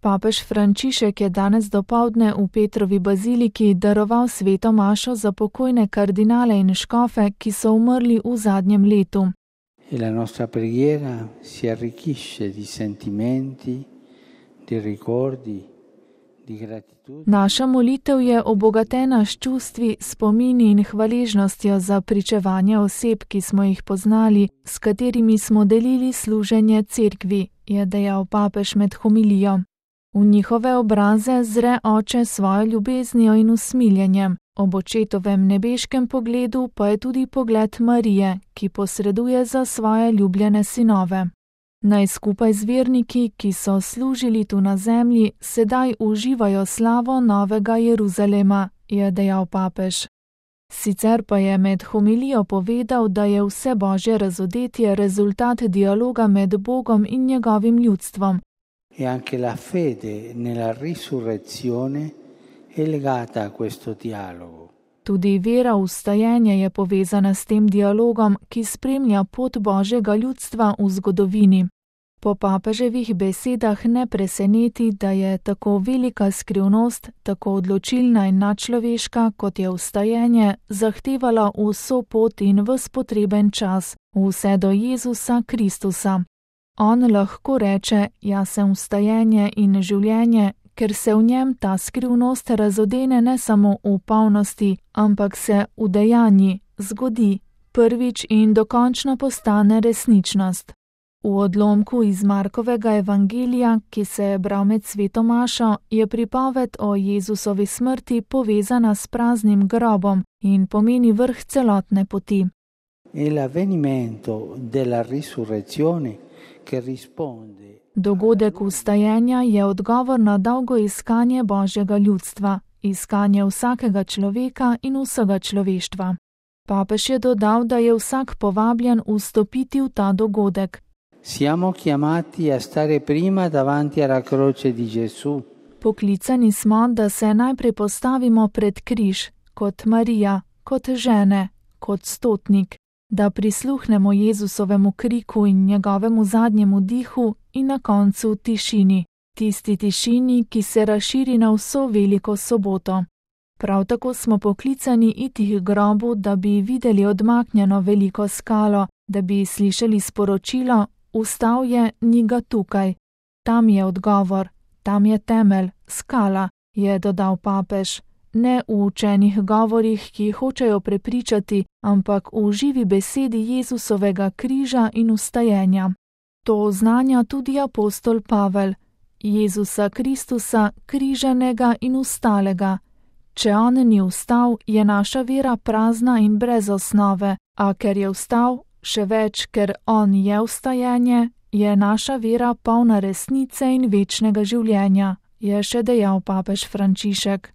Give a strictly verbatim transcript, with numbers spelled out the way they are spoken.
Papež Frančišek je danes dopoldne v Petrovi baziliki daroval sveto mašo za pokojne kardinale in škofe, ki so umrli v zadnjem letu. E la nostra preghiera si arricchisce di sentimenti, di ricordi, di gratitudine. Naša molitev je obogatena s čustvi, spomini in hvaležnostjo za pričevanje oseb, ki smo jih poznali, s katerimi smo delili služenje cerkvi, je dejal papež med homilijo. V njihove obraze zre oče svojo ljubeznijo in usmiljenjem, ob očetovem nebeškem pogledu pa je tudi pogled Marije, ki posreduje za svoje ljubljene sinove. Naj skupaj z verniki, ki so služili tu na zemlji, sedaj uživajo slavo Novega Jeruzalema, je dejal papež. Sicer pa je med homilijo povedal, da je vse božje razodetje rezultat dialoga med Bogom in njegovim ljudstvom. E anche la fede nella risurrezione è legata a questo dialogo. Tudi vera v vstajenje je povezana s tem dialogom, ki spremlja pot božjega ljudstva v zgodovini. Po papeževih besedah ne preseneti, da je tako velika skrivnost, tako odločilna in nadčloveška, kot je vstajenje, zahtevala vso pot in ves potreben čas, vse do Jezusa Kristusa. On lahko reče, jaz sem vstajenje in življenje, ker se v njem ta skrivnost razodene ne samo v polnosti, ampak se udejanji, zgodi, prvič in dokončno postane resničnost. V odlomku iz Markovega evangelija, ki se je bral med sveto mašo, je pripoved o Jezusovi smrti povezana s praznim grobom in pomeni vrh celotne poti. E l'avvenimento della risurrezione che risponde. Dogodek vstajenja je odgovor na dolgo iskanje božjega ljudstva, iskanje vsakega človeka in vsega človeštva. Papež je dodal, da je vsak povabljen vstopiti v ta dogodek. Siamo chiamati a stare prima davanti alla croce di Gesù. Poklicani smo, da se najprej postavimo pred križ, kot Marija, kot žene, kot stotnik, da prisluhnemo Jezusovemu kriku in njegovemu zadnjemu dihu in na koncu tišini, tisti tišini, ki se razširi na vso veliko soboto. Prav tako smo poklicani iti k grobu, da bi videli odmaknjeno veliko skalo, da bi slišali sporočilo, vstal je, ni ga tukaj. Tam je odgovor, tam je temelj, skala, je dodal papež. Ne v učenih govorih, ki hočejo prepričati, ampak v živi besedi Jezusovega križa in vstajenja. To oznanja tudi apostol Pavel, Jezusa Kristusa, križanega in vstalega. Če on ni vstal, je naša vera prazna in brez osnove, a ker je vstal, še več, ker on je vstajenje, je naša vera polna resnice in večnega življenja, je še dejal papež Frančišek.